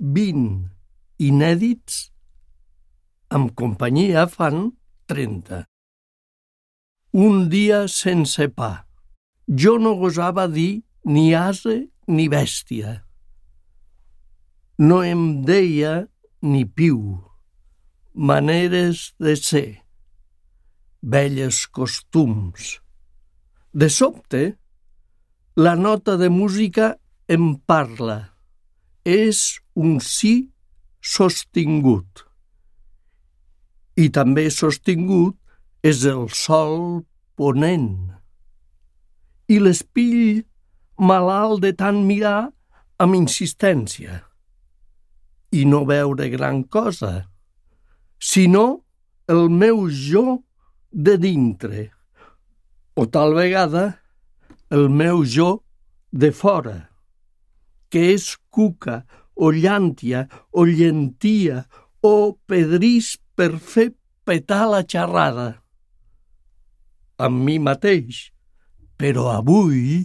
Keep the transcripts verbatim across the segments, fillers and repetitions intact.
vint inèdits, amb companyia fan trenta. Un dia sense pa. Jo no gosava dir ni ase ni bèstia. No em deia ni piu. Maneres de ser. Velles costums. De sobte, la nota de música em parla. És un sí sostingut. I també sostingut és el sol ponent. I l'espill malalt de tant mirar amb insistència. I no veure gran cosa, sinó el meu jo de dintre, o tal vegada el meu jo de fora, que és cuca, o llàntia, o llentia, o pedrís per fer petar la xerrada. Amb mi mateix, però avui,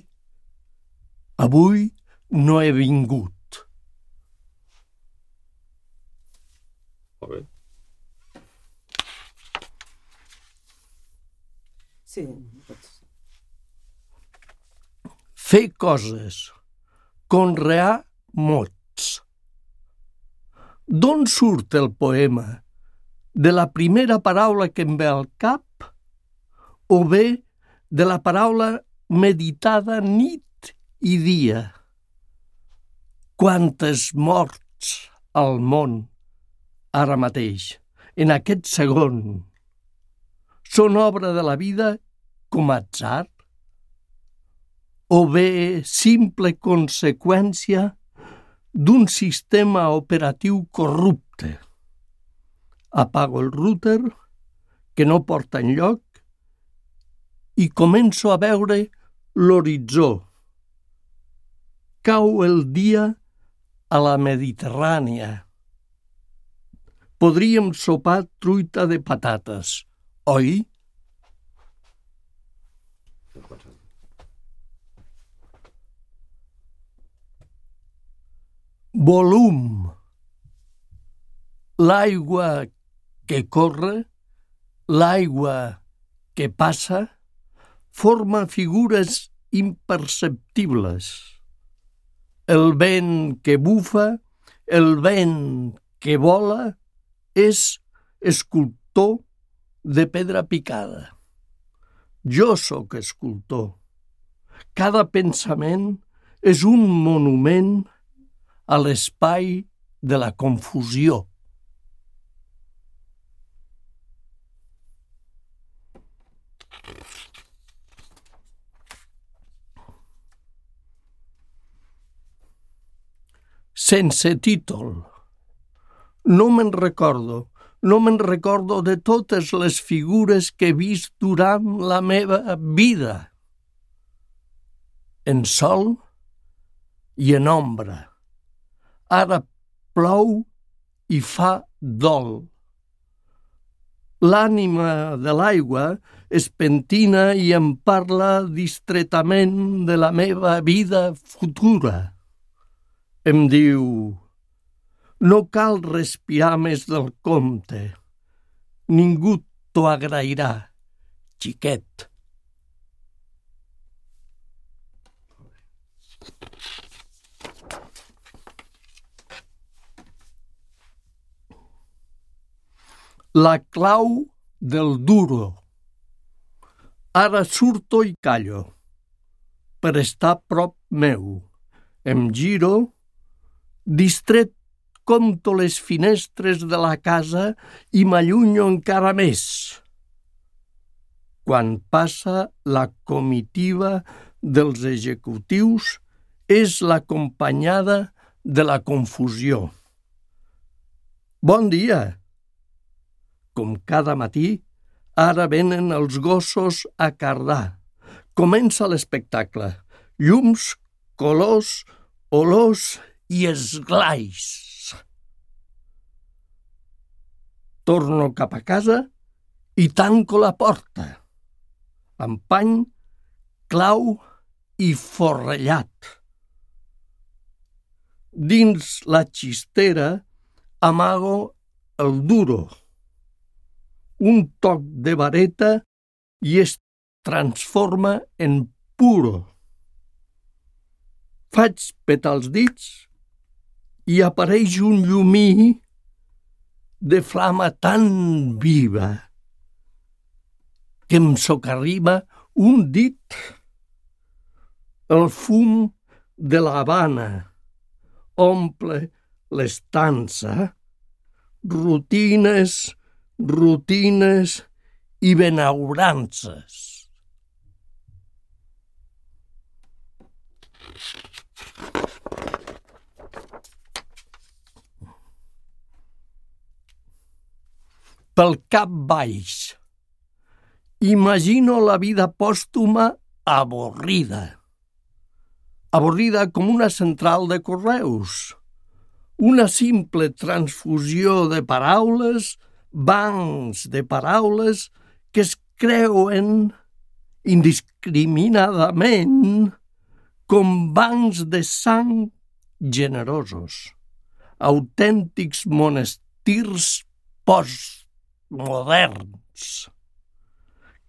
avui no he vingut. Molt bé. Sí, pots. Fer coses, conrear mots. D'on surt el poema? De la primera paraula que em ve al cap o bé de la paraula meditada nit i dia? Quantes morts al món ara mateix, en aquest segon, són obra de la vida com atzar? O bé simple conseqüència d'un sistema operatiu corrupte? Apago el router, que no porta enlloc, i començo a veure l'horitzó. Cau el dia a la Mediterrània. Podríem sopar truita de patates, oi? Volum. L'aigua que corre, l'aigua que passa, forma figures imperceptibles. El vent que bufa, el vent que vola, és escultor de pedra picada. Jo sóc escultor. Cada pensament és un monument a l'espai de la confusió. Sense títol. No me'n recordo, no me'n recordo de totes les figures que he vist durant la meva vida. En sol i en ombra. Ara plou i fa dol. L'ànima de l'aigua es pentina i em parla distretament de la meva vida futura. Em diu: no cal respirar més del compte. Ningú t'ho agrairà, xiquet. La clau del duro. Ara surto i callo, per estar prop meu. Em giro, distret compto les finestres de la casa i m'allunyo encara més. Quan passa la comitiva dels executius, és l'acompanyada de la confusió. Bon dia! Com cada matí, ara venen els gossos a cardar. Comença l'espectacle. Llums, colors, olors i esglais. Torno cap a casa i tanco la porta. Amb pany, clau i forrellat. Dins la xistera amago el duro, un toc de vareta i es transforma en puro. Faig petar els dits i apareix un llumí de flama tan viva que em socarriba un dit. El fum de l'Havana omple l'estança, rutines, rutines i benaurances. Pel cap baix. Imagino la vida pòstuma avorrida. Avorrida com una central de correus. Una simple transfusió de paraules, bancs de paraules que es creuen indiscriminadament com bancs de sang generosos, autèntics monestirs postmoderns.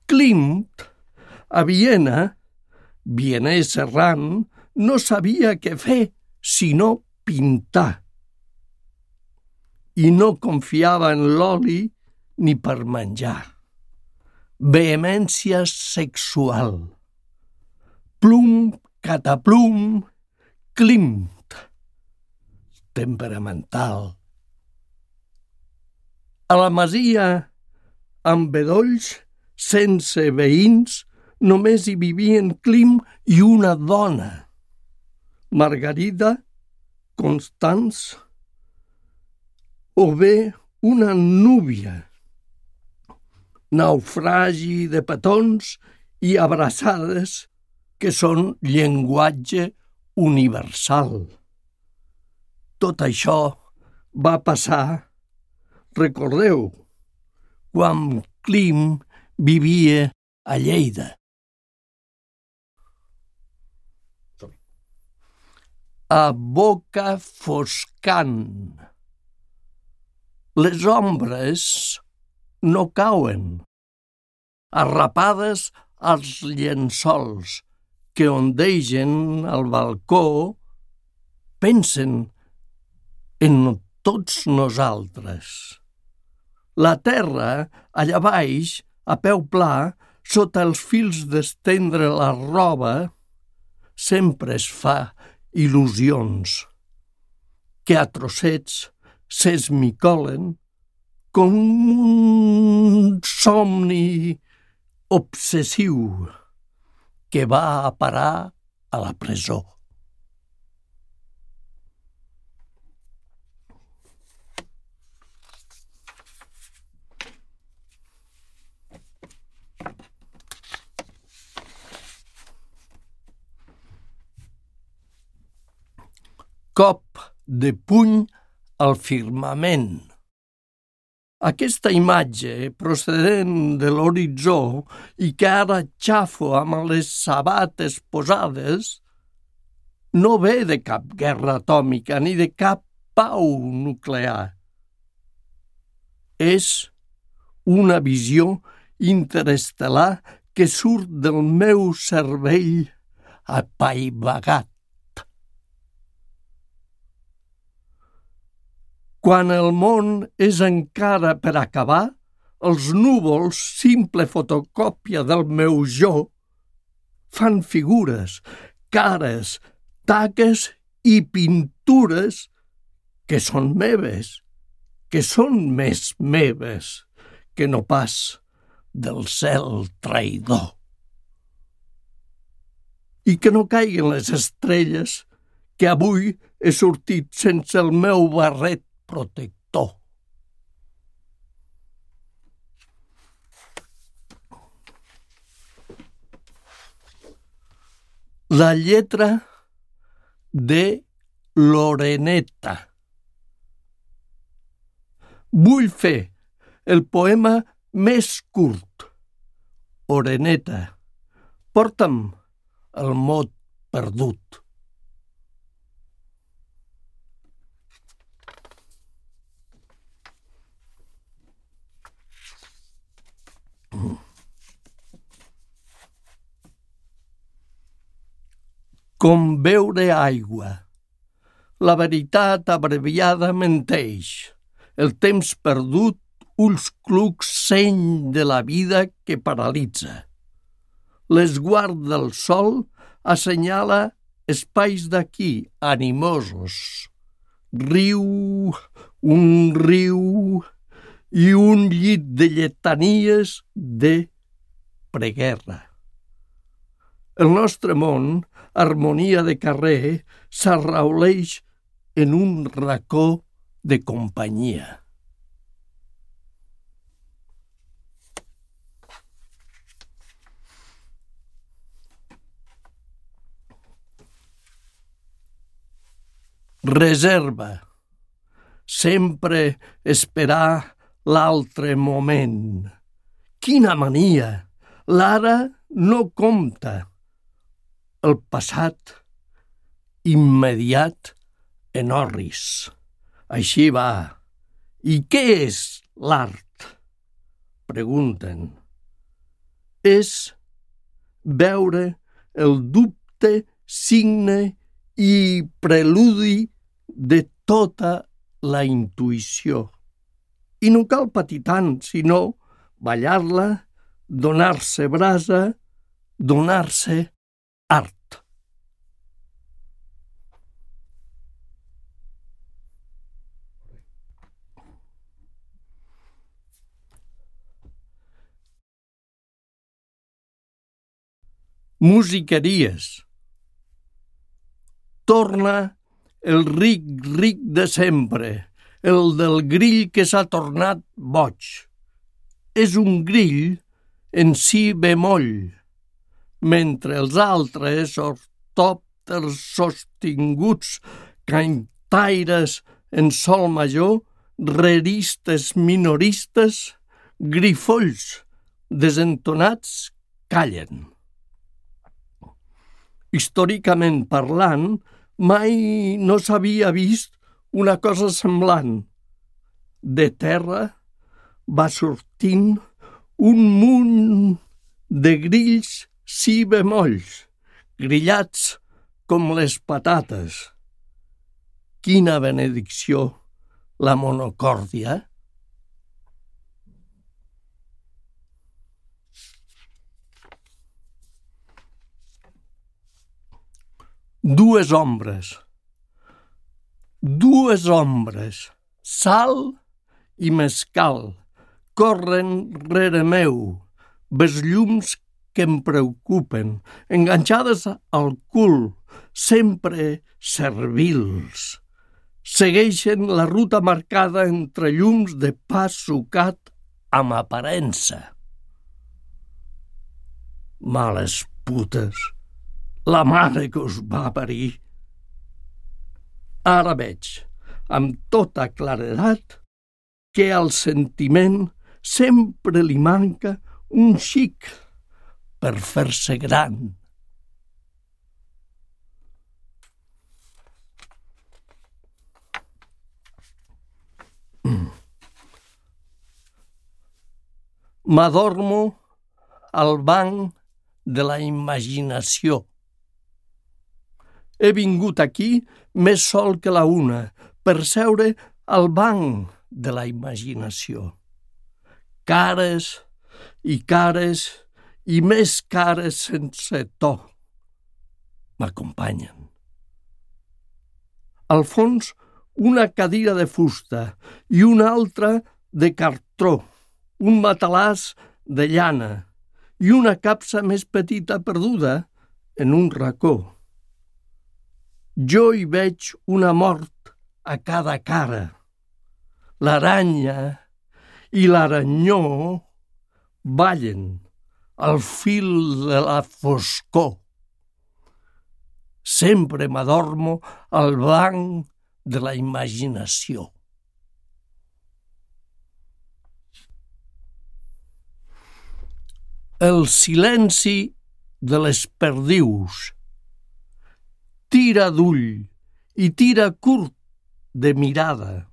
Klimt, a Viena, vienès errant, no sabia què fer sinó pintar. I no confiava en l'oli ni per menjar. Vehemència sexual. Plum, cataplum, Klimt. Temperamental. A la masia, amb bedolls, sense veïns, només hi vivien Klimt i una dona. Margarida, Constance, o bé una núvia. Naufragi de petons i abraçades que són llenguatge universal. Tot això va passar, recordeu, quan Klimt vivia a Lleida. A boca foscant. Les ombres no cauen, arrapades als llençols que ondegen al balcó, pensen en tots nosaltres. La terra, allà baix, a peu pla, sota els fils d'estendre la roba, sempre es fa il·lusions, que a trossets s'esmicolen com un somni obsessiu que va a parar a la presó. Cop de puny al firmament. Aquesta imatge, procedent de l'horitzó i que ara xafo amb les sabates posades, no ve de cap guerra atòmica ni de cap pau nuclear. És una visió interestel·lar que surt del meu cervell apaivagat. Quan el món és encara per acabar, els núvols, simple fotocòpia del meu jo, fan figures, cares, taques i pintures que són meves, que són més meves que no pas del cel traïdor. I que no caiguen les estrelles que avui he sortit sense el meu barret protector. La lletra de l'oreneta. Vull fer el poema més curt. Oreneta, porta'm el mot perdut. com beure aigua. La veritat abreviada menteix. El temps perdut, ulls clucs, seny de la vida que paralitza. L'esguard del sol assenyala espais d'aquí, animosos. Riu, un riu i un llit de lletanies de preguerra. El nostre món, harmonia de carrer, s'arrauleix en un racó de companyia. Reserva. Sempre esperar l'altre moment. Quina mania! L'ara no compta. El passat immediat en orris. Així va. I què és l'art? Pregunten. És veure el dubte, signe i preludi de tota la intuïció. I no cal patir tant, sinó ballar-la, donar-se brasa, donar-se art. Musiqueries. Torna el ric, ric de sempre, el del grill que s'ha tornat boig. És un grill en si bemoll, mentre els altres ortòpters sostinguts, cantaires en sol major, reristes minoristes, grifolls desentonats callen. Històricament parlant, mai no s'havia vist una cosa semblant. De terra va sortint un munt de grills si bemolls, grillats com les patates. Quina benedicció, la monocòrdia! Dues ombres. Dues ombres, sal i mescal, corren rere meu, besllums que em preocupen, enganxades al cul, sempre servils. Segueixen la ruta marcada entre llums de pa sucat amb aparença. Males putes, la mare que us va parir. Ara veig, amb tota claredat, que al sentiment sempre li manca un xic per fer-se gran. Mm. M'adormo al banc de la imaginació. He vingut aquí més sol que la una, per seure al banc de la imaginació. Cares i cares i més cares sense to m'acompanyen. Al fons, una cadira de fusta i una altra de cartró, un matalàs de llana i una capsa més petita perduda en un racó. Jo hi veig una mort a cada cara. L'aranya i l'aranyó ballen al fil de la foscor. Sempre m'adormo al banc de la imaginació. El silenci de les perdius. Tira d'ull i tira curt de mirada.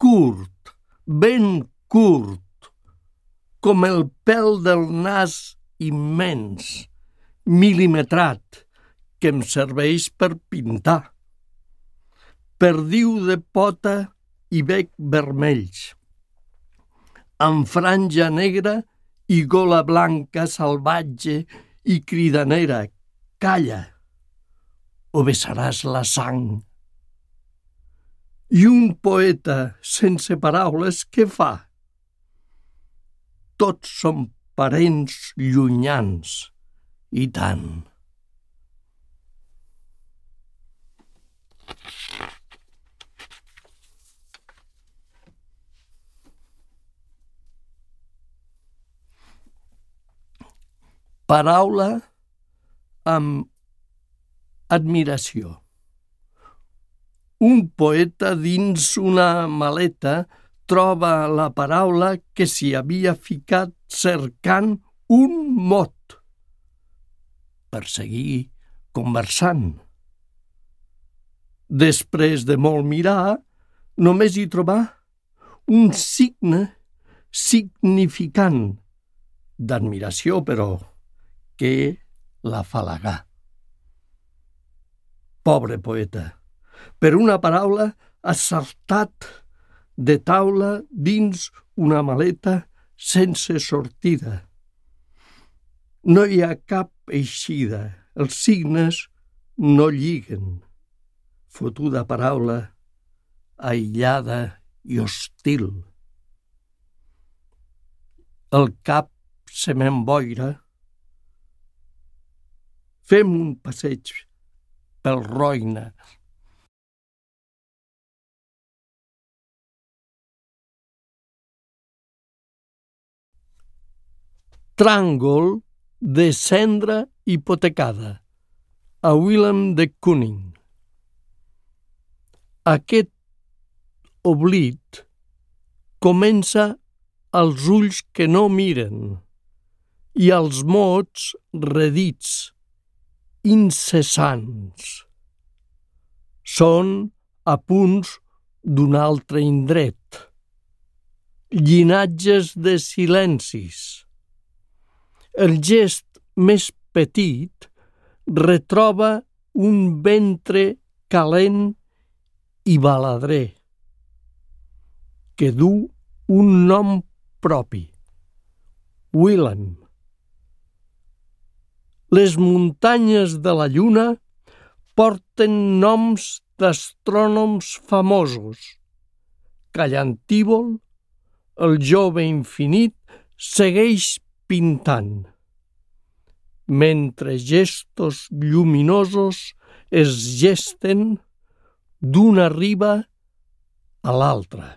Curt, ben curt, com el pèl del nas immens, mil·limetrat, que em serveix per pintar. Perdiu de pota i bec vermells, amb franja negra i gola blanca salvatge i cridanera. Calla, o vessaràs la sang. I un poeta sense paraules, què fa? Tots som parents llunyans, i tant. Paraula amb admiració. Un poeta dins una maleta troba la paraula que s'hi havia ficat cercant un mot per seguir conversant. Després de molt mirar, només hi trobà un signe significant d'admiració, però que l'afalagà. Pobre poeta, per una paraula ha saltat de taula dins una maleta sense sortida. No hi ha cap eixida, els signes no lliguen. Fotuda paraula, aïllada i hostil. El cap se m'emboira. Fem un passeig pel Roine. Tràngol de cendra hipotecada, a Willem de Kooning. Aquest oblit comença als ulls que no miren i als mots redits, incessants. Són apunts d'un altre indret, llinatges de silencis. El gest més petit retroba un ventre calent i baladrer, que du un nom propi, Willem. Les muntanyes de la lluna porten noms d'astrònoms famosos. Callantívol, el jove infinit, segueix pintant, mentre gestos lluminosos es gesten d'una riba a l'altra.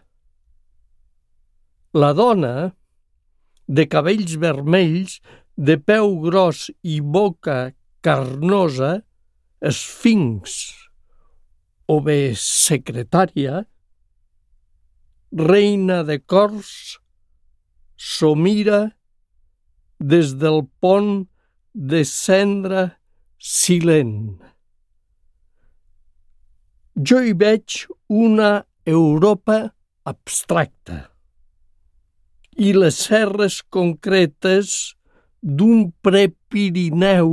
La dona, de cabells vermells, de peu gros i boca carnosa, esfinx o bé secretària, reina de cors, s'ho mira des del pont de cendra silent. Jo hi veig una Europa abstracta i les serres concretes d'un Prepirineu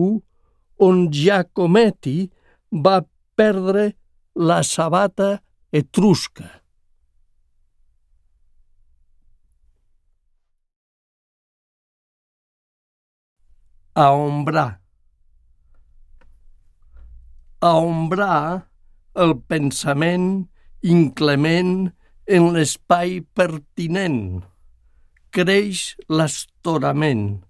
on Giacometti va perdre la sabata etrusca. Aombrar. Aombrar el pensament inclement en l'espai pertinent. Creix l'estorament.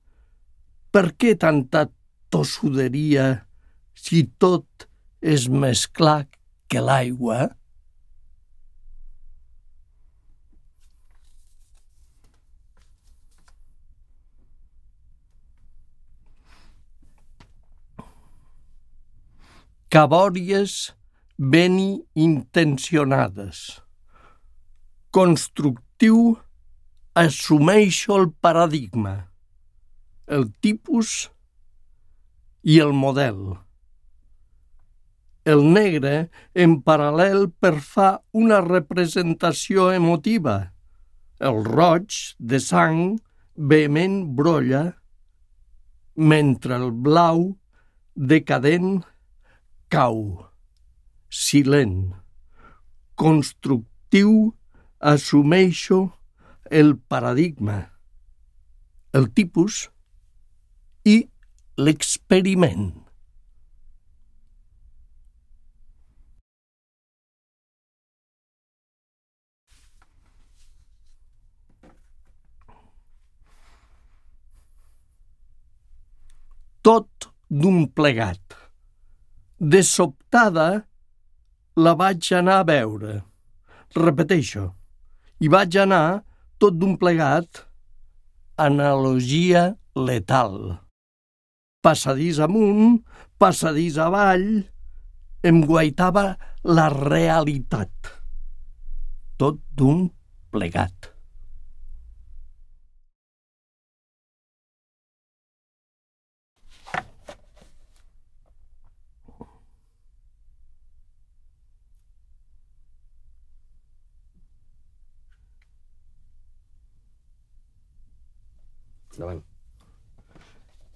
Per què tanta tossuderia si tot és més clar que l'aigua? Cabòries ben intencionades. Constructiu, assumeixo el paradigma, el tipus i el model. El negre en paral·lel perfà una representació emotiva. El roig de sang vehement brolla, mentre el blau decadent cau, silent, constructiu, assumeixo el paradigma, el tipus i l'experiment. Tot d'un plegat. De sobtada la vaig anar a veure. Repeteixo, i vaig anar tot d'un plegat, analogia letal. Passadís amunt, passadís avall, em guaitava la realitat. Tot d'un plegat. Endavant.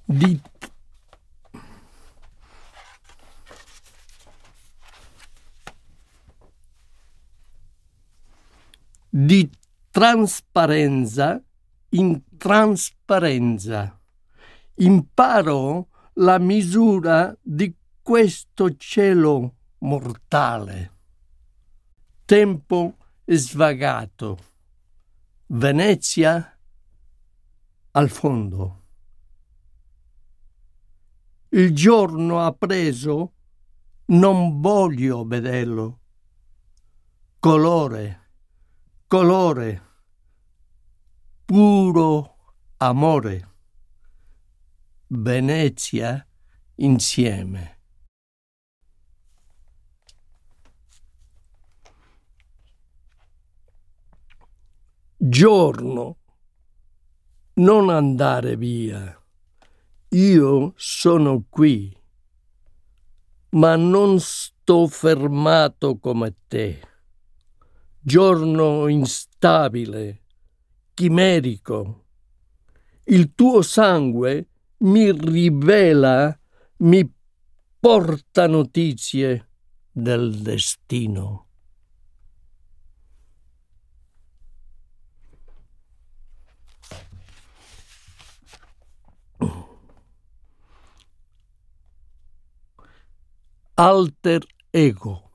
Dit di trasparenza in trasparenza. Imparo la misura di questo cielo mortale. Tempo svagato. Venezia al fondo. Il giorno appreso non voglio vederlo. Colore, colore, puro amore. Venezia insieme. Giorno, non andare via. Io sono qui, ma non sto fermato come te. Giorno instabile, chimerico. Il tuo sangue mi rivela, mi porta notizie del destino. Alter ego.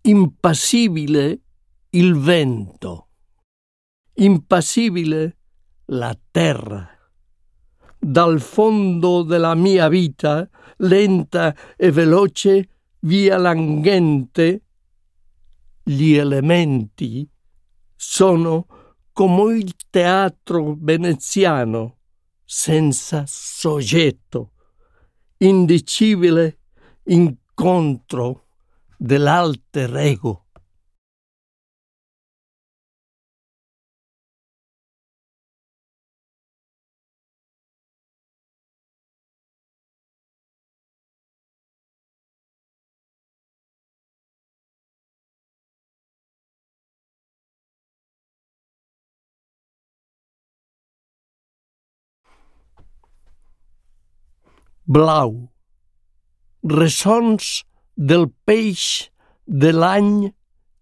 Impassibile il vento. Impassibile la terra. Dal fondo della mia vita, lenta e veloce, via languente, gli elementi sono come il teatro veneziano, senza soggetto, indicibile incontro dell'alter ego. Blau. Ressons del peix de l'any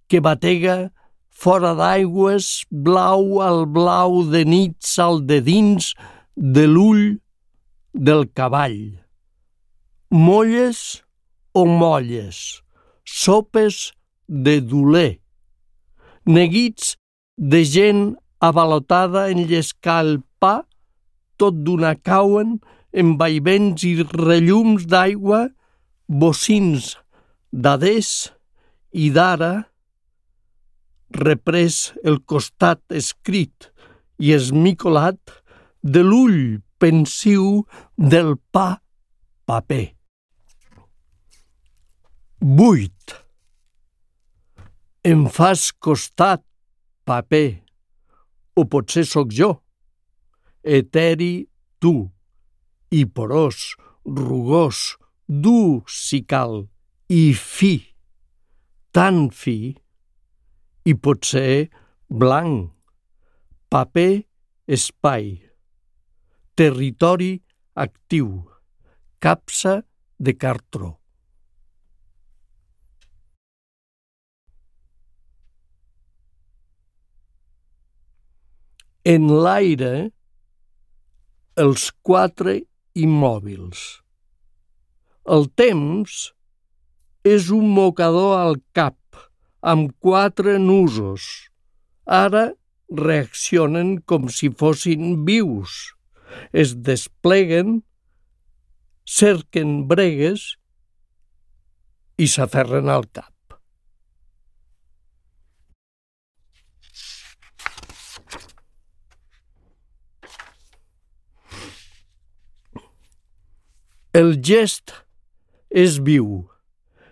que batega fora d'aigües, blau al blau de nits al de dins de l'ull del cavall. Molles o molles, sopes de doler, neguits de gent avalotada en llescar el pa, tot d'una cauen en vaivents i rellums d'aigua, bocins d'adés i d'ara, reprès el costat escrit i esmicolat de l'ull pensiu del pa paper. Buit. Em fas costat, paper, o potser sóc jo, eteri tu, i porós, rugós, dur si cal, i fi, tan fi, i potser blanc, paper, espai, territori actiu, capsa de cartró. en l'aire els quatre immòbils. El temps és un mocador al cap amb quatre nusos. Ara reaccionen com si fossin vius. Es despleguen, cerquen bregues i s'aferren al cap. El gest és viu,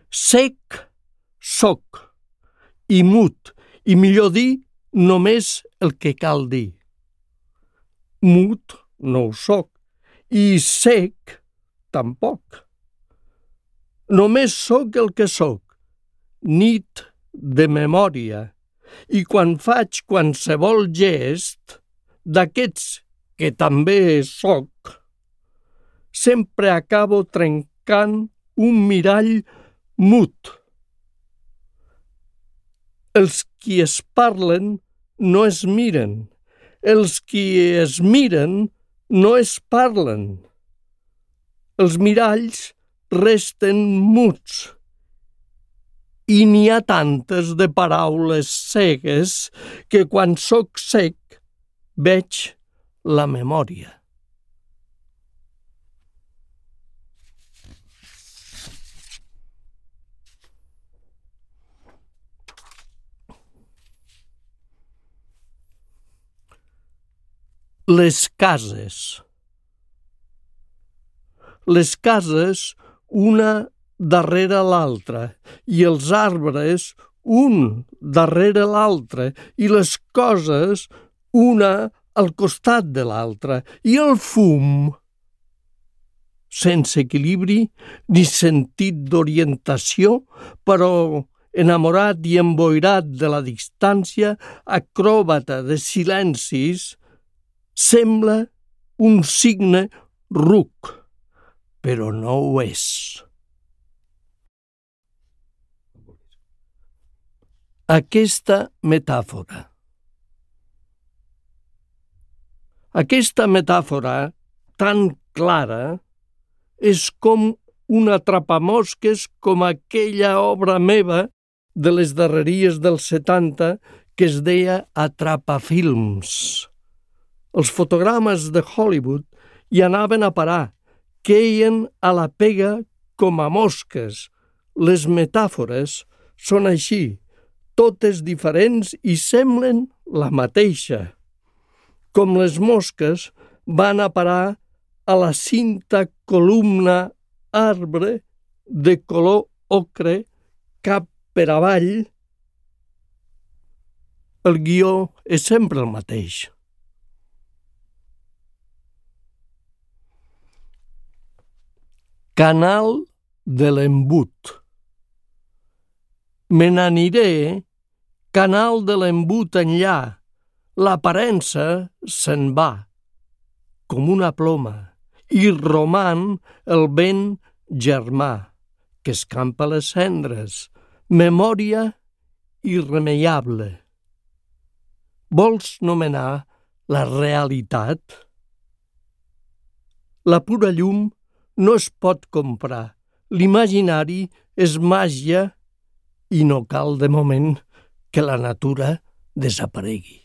sec, soc, i mut, i millor dir, només el que cal dir. Mut no ho soc, i sec tampoc. Només soc el que soc, nit de memòria, i quan faig qualsevol gest, d'aquests que també soc, sempre acabo trencant un mirall mut. Els qui es parlen no es miren, els qui es miren no es parlen. Els miralls resten muts i n'hi ha tantes de paraules cegues que quan soc sec veig la memòria. Les cases. Les cases, una darrere l'altra, i els arbres, un darrere l'altre, i les coses, una al costat de l'altra, i el fum, sense equilibri ni sentit d'orientació, però enamorat i emboirat de la distància, acròbata de silencis, sembla un signe ruc, però no ho és. Aquesta metàfora. Aquesta metàfora tan clara és com un atrapamosques com aquella obra meva de les darreries dels setanta que es deia Atrapafilms. Els fotogrames de Hollywood hi anaven a parar, queien a la pega com a mosques. Les metàfores són així, totes diferents i semblen la mateixa. Com les mosques van a parar a la cinta columna arbre de color ocre cap per avall, el guió és sempre el mateix. Canal de l'embut. Me n'aniré, canal de l'embut enllà, l'aparença se'n va, com una ploma, i roman el vent germà, que escampa les cendres, memòria irremeiable. Vols nomenar la realitat? La pura llum no es pot comprar. L'imaginari és màgia i no cal de moment que la natura desaparegui.